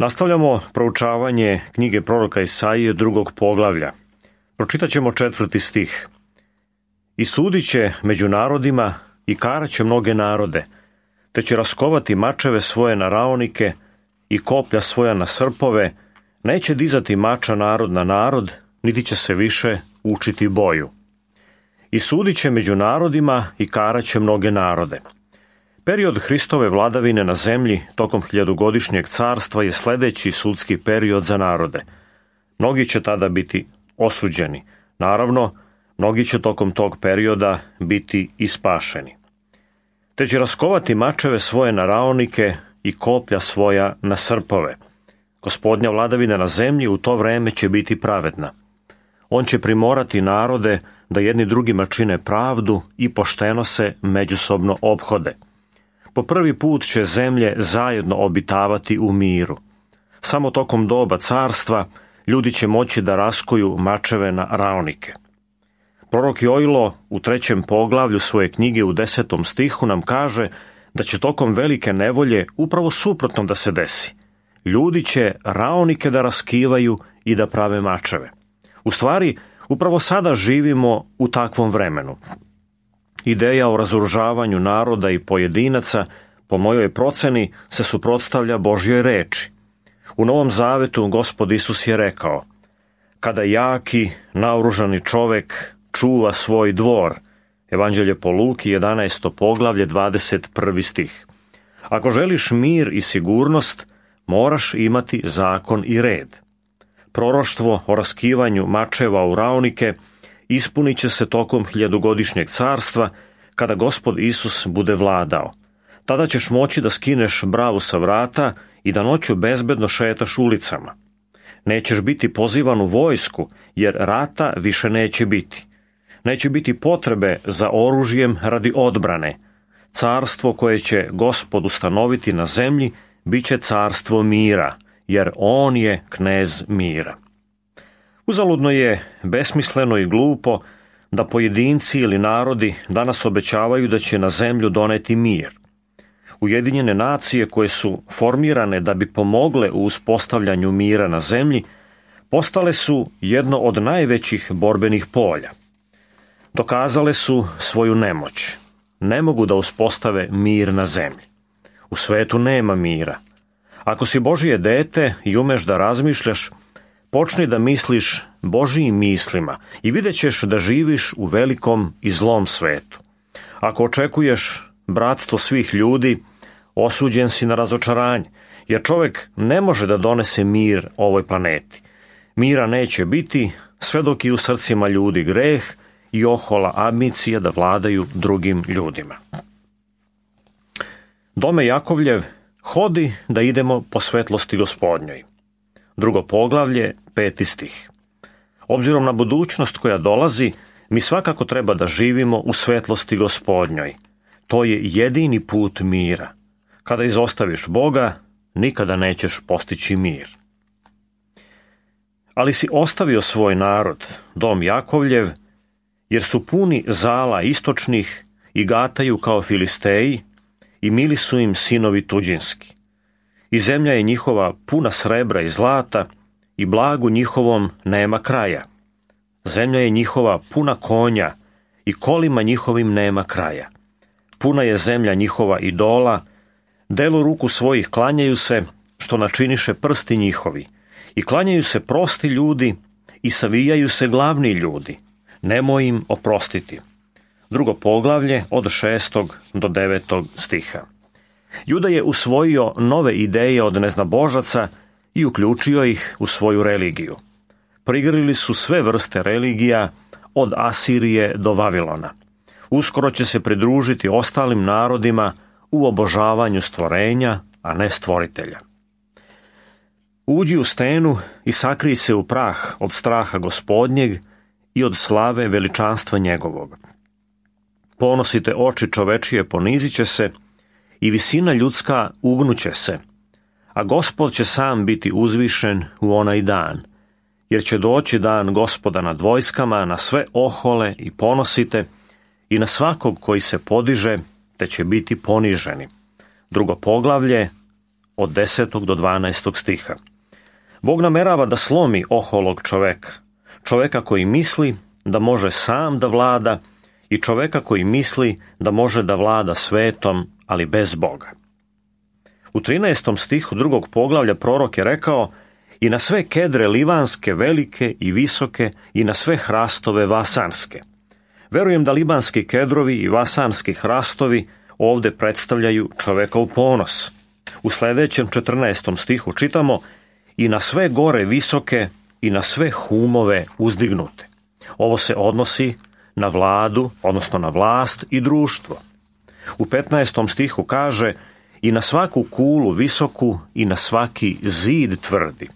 Nastavljamo proučavanje knjige proroka Isaije 2. poglavlja. Pročitat ćemo 4. stih. I sudit će među narodima i karaće mnoge narode, te će raskovati mačeve svoje na raonike i koplja svoja na srpove, neće dizati mača narod na narod, niti će se više učiti boju. I sudit će među narodima i karaće mnoge narode. Period Hristove vladavine na zemlji tokom 1000-godišnjeg carstva je sljedeći sudski period za narode. Mnogi će tada biti osuđeni. Naravno, mnogi će tokom tog perioda biti i spašeni. Te će raskovati mačeve svoje na raonike i koplja svoja na srpove. Gospodnja vladavina na zemlji u to vreme će biti pravedna. On će primorati narode da jedni drugima čine pravdu i pošteno se međusobno ophode. Po prvi put će zemlje zajedno obitavati u miru. Samo tokom doba carstva ljudi će moći da raskuju mačeve na raonike. Prorok Joilo u 3. poglavlju svoje knjige u 10. stihu nam kaže da će tokom velike nevolje upravo suprotno da se desi. Ljudi će raonike da raskivaju i da prave mačeve. U stvari, upravo sada živimo u takvom vremenu. Ideja o razoružavanju naroda i pojedinaca, po mojoj proceni, se suprotstavlja Božjoj reči. U Novom Zavetu Gospod Isus je rekao: kada jaki, naoružani čovek čuva svoj dvor. Evanđelje po Luki, 11. poglavlje, 21. stih. Ako želiš mir i sigurnost, moraš imati zakon i red. Proroštvo o raskivanju mačeva u raonike ispunit će se tokom 1000-godišnjeg carstva, kada Gospod Isus bude vladao. Tada ćeš moći da skineš bravu sa vrata i da noću bezbedno šetaš ulicama. Nećeš biti pozivan u vojsku, jer rata više neće biti. Neće biti potrebe za oružjem radi odbrane. Carstvo koje će Gospod ustanoviti na zemlji bit će carstvo mira, jer on je knez mira. Uzaludno je, besmisleno i glupo da pojedinci ili narodi danas obećavaju da će na zemlju doneti mir. Ujedinjene nacije koje su formirane da bi pomogle u uspostavljanju mira na zemlji, postale su jedno od najvećih borbenih polja. Dokazale su svoju nemoć. Ne mogu da uspostave mir na zemlji. U svetu nema mira. Ako si Božje dete i umeš da razmišljaš, počni da misliš Božjim mislima i vidjet ćeš da živiš u velikom i zlom svetu. Ako očekuješ bratstvo svih ljudi, osuđen si na razočaranje, jer čovjek ne može da donese mir ovoj planeti. Mira neće biti sve dok je u srcima ljudi greh i ohola ambicija da vladaju drugim ljudima. Dome Jakovljev, hodi da idemo po svetlosti Gospodnjoj. 2. poglavlje, 5. stih. Obzirom na budućnost koja dolazi, mi svakako treba da živimo u svetlosti Gospodnjoj. To je jedini put mira. Kada izostaviš Boga, nikada nećeš postići mir. Ali si ostavio svoj narod, dom Jakovljev, jer su puni zala istočnih i gataju kao Filisteji i mili su im sinovi tuđinski. I zemlja je njihova puna srebra i zlata i blagu njihovom nema kraja. Zemlja je njihova puna konja i kolima njihovim nema kraja. Puna je zemlja njihova idola, delu ruku svojih klanjaju se, što načiniše prsti njihovi, i klanjaju se prosti ljudi i savijaju se glavni ljudi. Nemoj im oprostiti. 2. poglavlje od 6. do 9. stiha. Juda je usvojio nove ideje od neznabožaca i uključio ih u svoju religiju. Prigrlili su sve vrste religija od Asirije do Vavilona. Uskoro će se pridružiti ostalim narodima u obožavanju stvorenja, a ne stvoritelja. Uđi u stenu i sakrij se u prah od straha Gospodnjeg i od slave veličanstva njegovog. Ponosite oči čovečije ponizit će se i visina ljudska ugnuće se, a Gospod će sam biti uzvišen u onaj dan, jer će doći dan Gospoda nad vojskama, na sve ohole i ponosite i na svakog koji se podiže, te će biti poniženi. 2. poglavlje od 10. do 12. stiha. Bog namerava da slomi oholog čoveka koji misli da može sam da vlada i čoveka koji misli da može da vlada svetom, ali bez Boga. U 13. stihu 2. poglavlja prorok je rekao: i na sve kedre livanske, velike i visoke, i na sve hrastove vasanske. Verujem da libanski kedrovi i vasanski hrastovi ovde predstavljaju čovekov ponos. U sledećem 14. stihu čitamo: i na sve gore visoke i na sve humove uzdignute. Ovo se odnosi na vladu, odnosno na vlast i društvo. U 15. stihu kaže: i na svaku kulu visoku i na svaki zid tvrdi.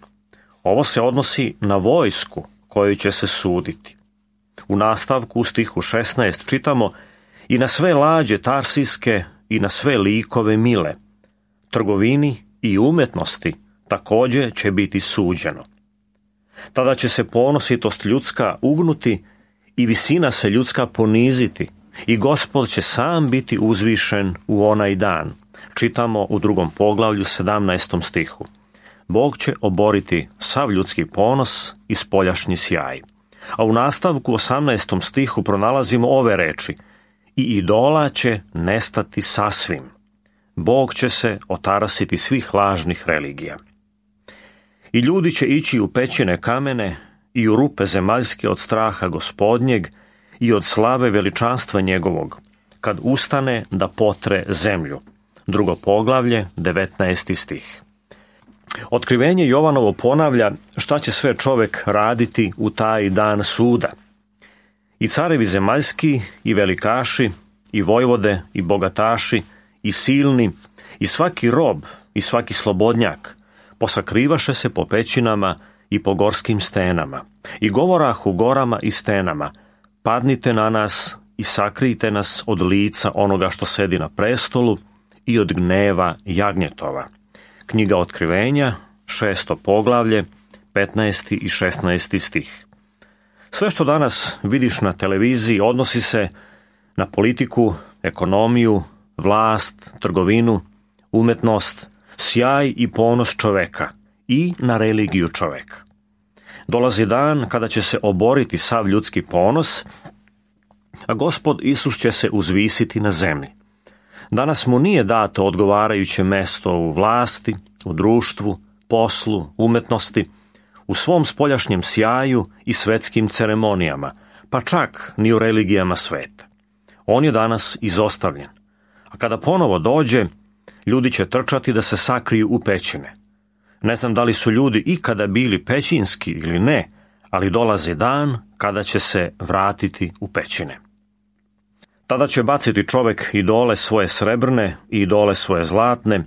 Ovo se odnosi na vojsku koju će se suditi. U nastavku u stihu 16 čitamo: i na sve lađe tarsijske i na sve likove mile. Trgovini i umetnosti takođe će biti suđeno. Tada će se ponositost ljudska ugnuti i visina se ljudska poniziti i Gospod će sam biti uzvišen u onaj dan. Čitamo u 2. poglavlju 17. stihu. Bog će oboriti sav ljudski ponos i spoljašnji sjaj. A u nastavku 18. stihu pronalazimo ove reči: i idola će nestati sasvim. Bog će se otarasiti svih lažnih religija. I ljudi će ići u pećine kamene i u rupe zemaljske od straha Gospodnjeg i od slave veličanstva njegovog, kad ustane da potre zemlju. 2. poglavlje, 19. stih. Otkrivenje Jovanovo ponavlja šta će sve čovek raditi u taj dan suda. I carevi zemaljski, i velikaši, i vojvode, i bogataši, i silni, i svaki rob, i svaki slobodnjak, posakrivaše se po pećinama i po gorskim stenama, i govorah u gorama i stenama: padnite na nas i sakrijte nas od lica onoga što sedi na prestolu i od gneva jagnjetova. Knjiga Otkrivenja, 6. poglavlje, 15. i 16. stih. Sve što danas vidiš na televiziji odnosi se na politiku, ekonomiju, vlast, trgovinu, umetnost, sjaj i ponos čoveka i na religiju čoveka. Dolazi dan kada će se oboriti sav ljudski ponos, a Gospod Isus će se uzvisiti na zemlji. Danas mu nije dato odgovarajuće mesto u vlasti, u društvu, poslu, umetnosti, u svom spoljašnjem sjaju i svetskim ceremonijama, pa čak ni u religijama sveta. On je danas izostavljen, a kada ponovo dođe, ljudi će trčati da se sakriju u pećine. Ne znam da li su ljudi ikada bili pećinski ili ne, ali dolazi dan kada će se vratiti u pećine. Tada će baciti čovek idole svoje srebrne i idole svoje zlatne,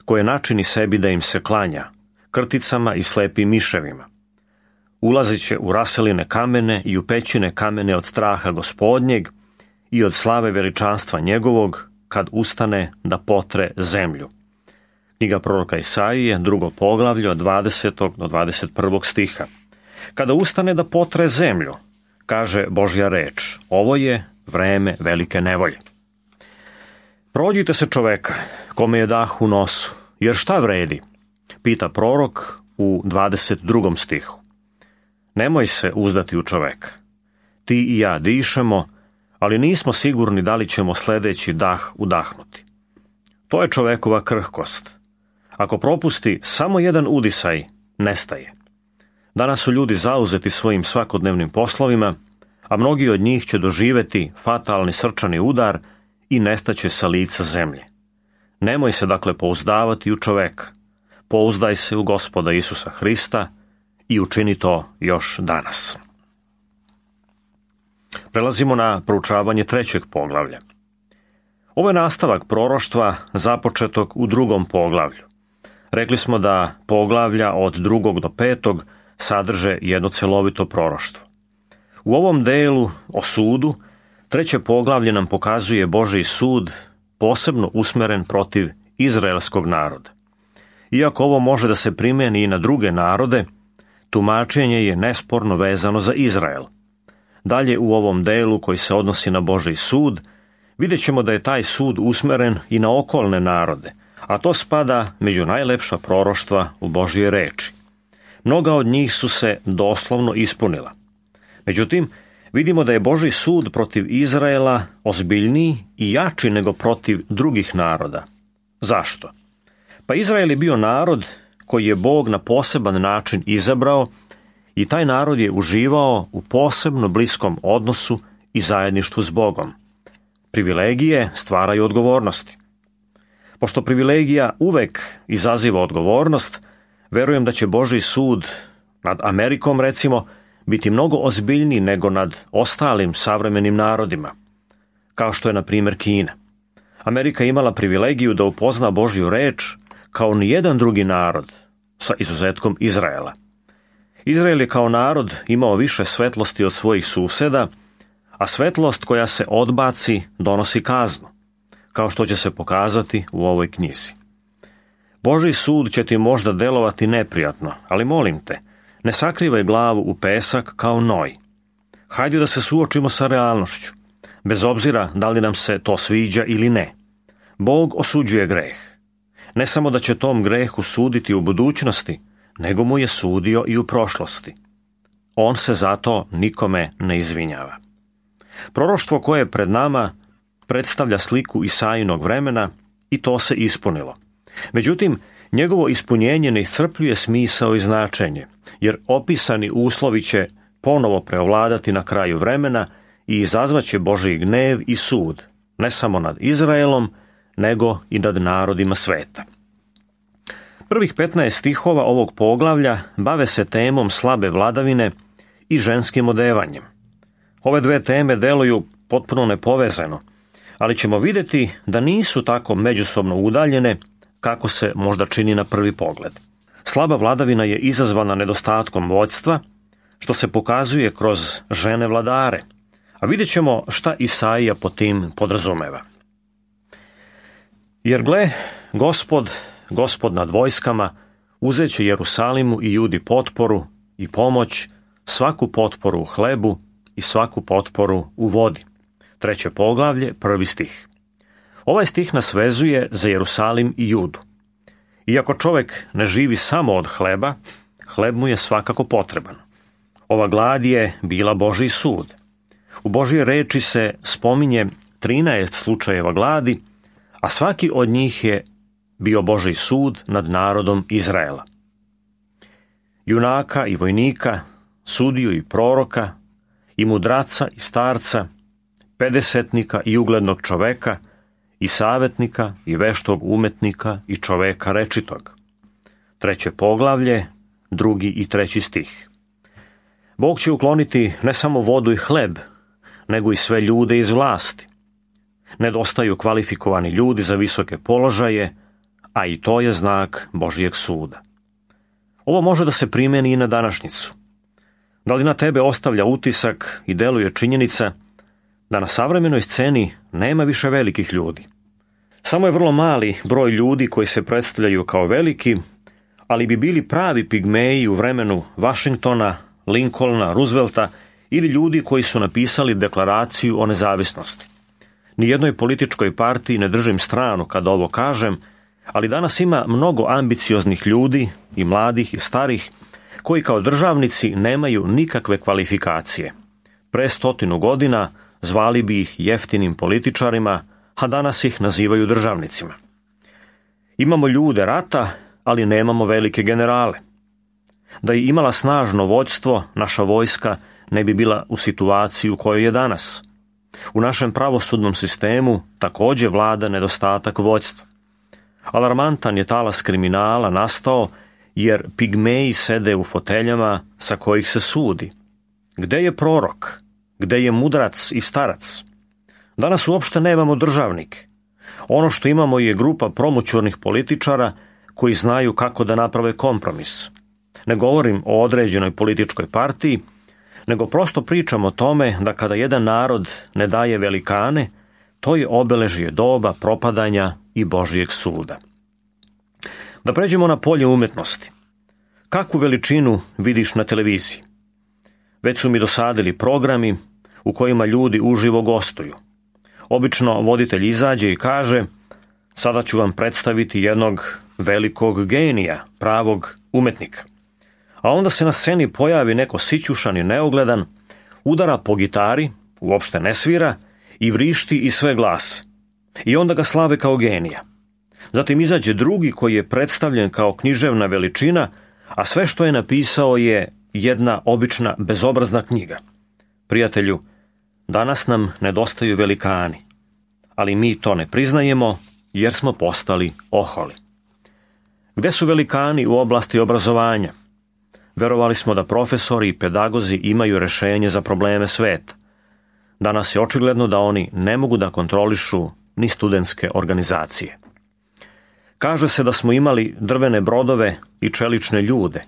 koje načini sebi da im se klanja, krticama i slepim miševima. Ulazit će u raseline kamene i u pećine kamene od straha Gospodnjeg i od slave veličanstva njegovog, kad ustane da potre zemlju. Knjiga proroka Isaije, 2. poglavlje od 20. do 21. stiha. Kada ustane da potre zemlju, kaže Božja reč, ovo je vreme velike nevolje. Prođite se čoveka, kome je dah u nosu, jer šta vredi? Pita prorok u 22. stihu. Nemoj se uzdati u čoveka. Ti i ja dišemo, ali nismo sigurni da li ćemo sledeći dah udahnuti. To je čovekova krhkost. Ako propusti samo jedan udisaj, nestaje. Danas su ljudi zauzeti svojim svakodnevnim poslovima, a mnogi od njih će doživeti fatalni srčani udar i nestaće sa lica zemlje. Nemoj se dakle pouzdavati u čoveka. Pouzdaj se u Gospoda Isusa Hrista i učini to još danas. Prelazimo na proučavanje 3. poglavlja. Ovo je nastavak proroštva započetog u 2. poglavlju. Rekli smo da poglavlja od 2. do 5. sadrže jedno celovito proroštvo. U ovom delu o sudu, 3. poglavlje nam pokazuje Božji sud posebno usmeren protiv izraelskog naroda. Iako ovo može da se primeni i na druge narode, tumačenje je nesporno vezano za Izrael. Dalje u ovom delu koji se odnosi na Božji sud, vidjet ćemo da je taj sud usmeren i na okolne narode, a to spada među najlepša proroštva u Božje reči. Mnoga od njih su se doslovno ispunila. Međutim, vidimo da je Božji sud protiv Izraela ozbiljniji i jači nego protiv drugih naroda. Zašto? Pa Izrael je bio narod koji je Bog na poseban način izabrao i taj narod je uživao u posebno bliskom odnosu i zajedništvu s Bogom. Privilegije stvaraju odgovornosti. Pošto privilegija uvek izaziva odgovornost, verujem da će Božji sud nad Amerikom, recimo, biti mnogo ozbiljniji nego nad ostalim savremenim narodima, kao što je, na primjer, Kina. Amerika je imala privilegiju da upozna Božju reč kao nijedan drugi narod, sa izuzetkom Izraela. Izrael je kao narod imao više svetlosti od svojih suseda, a svetlost koja se odbaci donosi kaznu, kao što će se pokazati u ovoj knjizi. Božji sud će ti možda delovati neprijatno, ali molim te, ne sakrivaj glavu u pesak kao Noj. Hajde da se suočimo sa realnošću, bez obzira da li nam se to sviđa ili ne. Bog osuđuje greh. Ne samo da će tom grehu suditi u budućnosti, nego mu je sudio i u prošlosti. On se zato nikome ne izvinjava. Proroštvo koje je pred nama predstavlja sliku Isaijinog vremena i to se ispunilo. Međutim, njegovo ispunjenje ne iscrpljuje smisao i značenje, jer opisani uslovi će ponovo preovladati na kraju vremena i izazvaće Božji gnev i sud, ne samo nad Izraelom, nego i nad narodima sveta. Prvih 15 stihova ovog poglavlja bave se temom slabe vladavine i ženskim odevanjem. Ove dve teme deluju potpuno nepovezano, ali ćemo vidjeti da nisu tako međusobno udaljene kako se možda čini na prvi pogled. Slaba vladavina je izazvana nedostatkom vođstva, što se pokazuje kroz žene vladare, a vidjet ćemo šta Isaija po tim podrazumeva. Jer gle, Gospod nad vojskama, uzet će Jerusalimu i Judi potporu i pomoć, svaku potporu u hlebu i svaku potporu u vodi. 3. poglavlje, 1. stih. Ovaj stih nas vezuje za Jerusalim i Judu. Iako čovjek ne živi samo od hleba, hleb mu je svakako potreban. Ova glad je bila Božji sud. U Božje reči se spominje 13 slučajeva gladi, a svaki od njih je bio Božji sud nad narodom Izraela. Junaka i vojnika, sudiju i proroka, i mudraca i starca, pedesetnika i uglednog čoveka, i savjetnika i veštog umetnika i čoveka rečitog. 3. poglavlje, 2. i 3. stih. Bog će ukloniti ne samo vodu i hleb, nego i sve ljude iz vlasti. Nedostaju kvalifikovani ljudi za visoke položaje, a i to je znak Božjeg suda. Ovo može da se primjeni i na današnjicu. Da li na tebe ostavlja utisak i deluje činjenica da na savremenoj sceni nema više velikih ljudi? Samo je vrlo mali broj ljudi koji se predstavljaju kao veliki, ali bi bili pravi pigmeji u vremenu Washingtona, Lincolna, Roosevelta ili ljudi koji su napisali deklaraciju o nezavisnosti. Nijednoj političkoj partiji ne držim stranu kad ovo kažem, ali danas ima mnogo ambicioznih ljudi, i mladih i starih, koji kao državnici nemaju nikakve kvalifikacije. Pre 100 godina zvali bi ih jeftinim političarima, a danas ih nazivaju državnicima. Imamo ljude rata, ali nemamo velike generale. Da je imala snažno vođstvo, naša vojska ne bi bila u situaciji u kojoj je danas. U našem pravosudnom sistemu također vlada nedostatak vođstva. Alarmantan je talas kriminala nastao jer pigmeji sede u foteljama sa kojih se sudi. Gde je prorok? Gde je mudrac i starac? Danas uopšte nemamo državnike. Ono što imamo je grupa promućurnih političara koji znaju kako da naprave kompromis. Ne govorim o određenoj političkoj partiji, nego prosto pričam o tome da kada jedan narod ne daje velikane, to je obeležje doba propadanja i Božjeg suda. Da pređemo na polje umetnosti. Kakvu veličinu vidiš na televiziji? Već su mi dosadili programi u kojima ljudi uživo gostuju. Obično voditelj izađe i kaže: Sada ću vam predstaviti jednog velikog genija, pravog umetnika. A onda se na sceni pojavi neko sićušan i neugledan, udara po gitari, uopšte ne svira, i vrišti iz sve glas. I onda ga slave kao genija. Zatim izađe drugi koji je predstavljen kao književna veličina, a sve što je napisao je jedna obična bezobrazna knjiga. Prijatelju, danas nam nedostaju velikani, ali mi to ne priznajemo jer smo postali oholi. Gde su velikani u oblasti obrazovanja? Verovali smo da profesori i pedagozi imaju rešenje za probleme sveta. Danas je očigledno da oni ne mogu da kontrolišu ni studentske organizacije. Kaže se da smo imali drvene brodove i čelične ljude,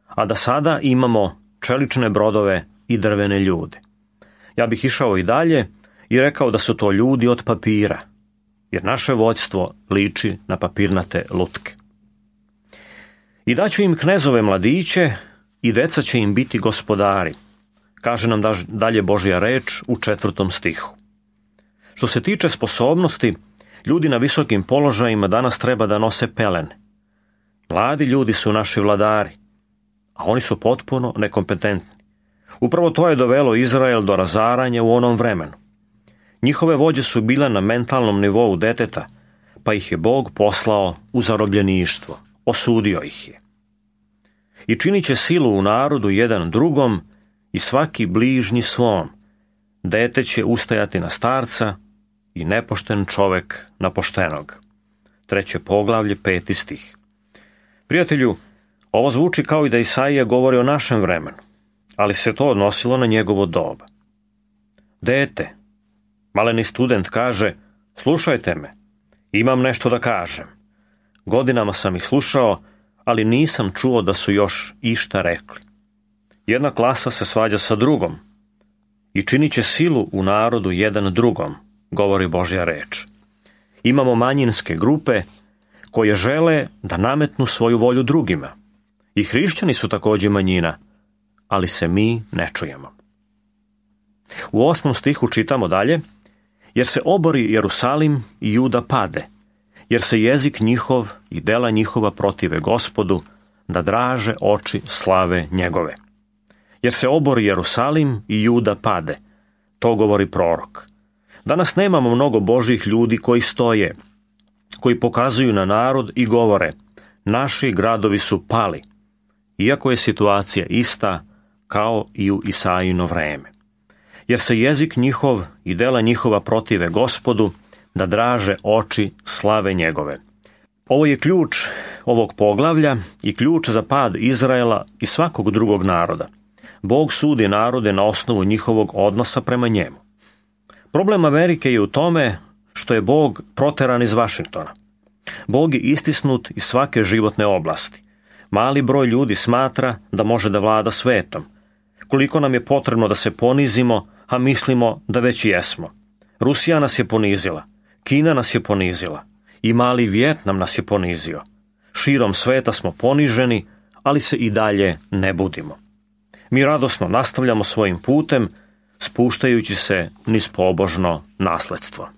a da sada imamo čelične brodove i drvene ljude. Ja bih išao i dalje i rekao da su to ljudi od papira, jer naše vođstvo liči na papirnate lutke. I daću im knezove mladiće i deca će im biti gospodari, kaže nam dalje Božja reč u 4. stihu. Što se tiče sposobnosti, ljudi na visokim položajima danas treba da nose pelene. Mladi ljudi su naši vladari, a oni su potpuno nekompetentni. Upravo to je dovelo Izrael do razaranja u onom vremenu. Njihove vođe su bile na mentalnom nivou deteta, pa ih je Bog poslao u zarobljeništvo, osudio ih je. I činit će silu u narodu jedan drugom i svaki bližnji svom. Dete će ustajati na starca i nepošten čovek na poštenog. 3. poglavlje, 5. stih. Prijatelju, ovo zvuči kao i da Isaija govori o našem vremenu, ali se to odnosilo na njegovo doba. Dete, maleni student kaže, slušajte me, imam nešto da kažem. Godinama sam ih slušao, ali nisam čuo da su još išta rekli. Jedna klasa se svađa sa drugom i činit će silu u narodu jedan drugom, govori Božja reč. Imamo manjinske grupe koje žele da nametnu svoju volju drugima. I hrišćani su također manjina, ali se mi ne čujemo. U 8. stihu čitamo dalje, jer se obori Jerusalim i Juda pade, jer se jezik njihov i dela njihova protive Gospodu, da draže oči slave njegove. Jer se obori Jerusalim i Juda pade, to govori prorok. Danas nemamo mnogo Božjih ljudi koji stoje, koji pokazuju na narod i govore, naši gradovi su pali, iako je situacija ista kao i u Isaijino vreme. Jer se jezik njihov i dela njihova protive Gospodu, da draže oči slave njegove. Ovo je ključ ovog poglavlja i ključ za pad Izraela i svakog drugog naroda. Bog sudi narode na osnovu njihovog odnosa prema njemu. Problem Amerike je u tome što je Bog proteran iz Vašingtona. Bog je istisnut iz svake životne oblasti. Mali broj ljudi smatra da može da vlada svetom. Koliko nam je potrebno da se ponizimo, a mislimo da već jesmo. Rusija nas je ponizila, Kina nas je ponizila i mali Vjetnam nas je ponizio. Širom sveta smo poniženi, ali se i dalje ne budimo. Mi radosno nastavljamo svojim putem, spuštajući se niz pobožno nasledstvo.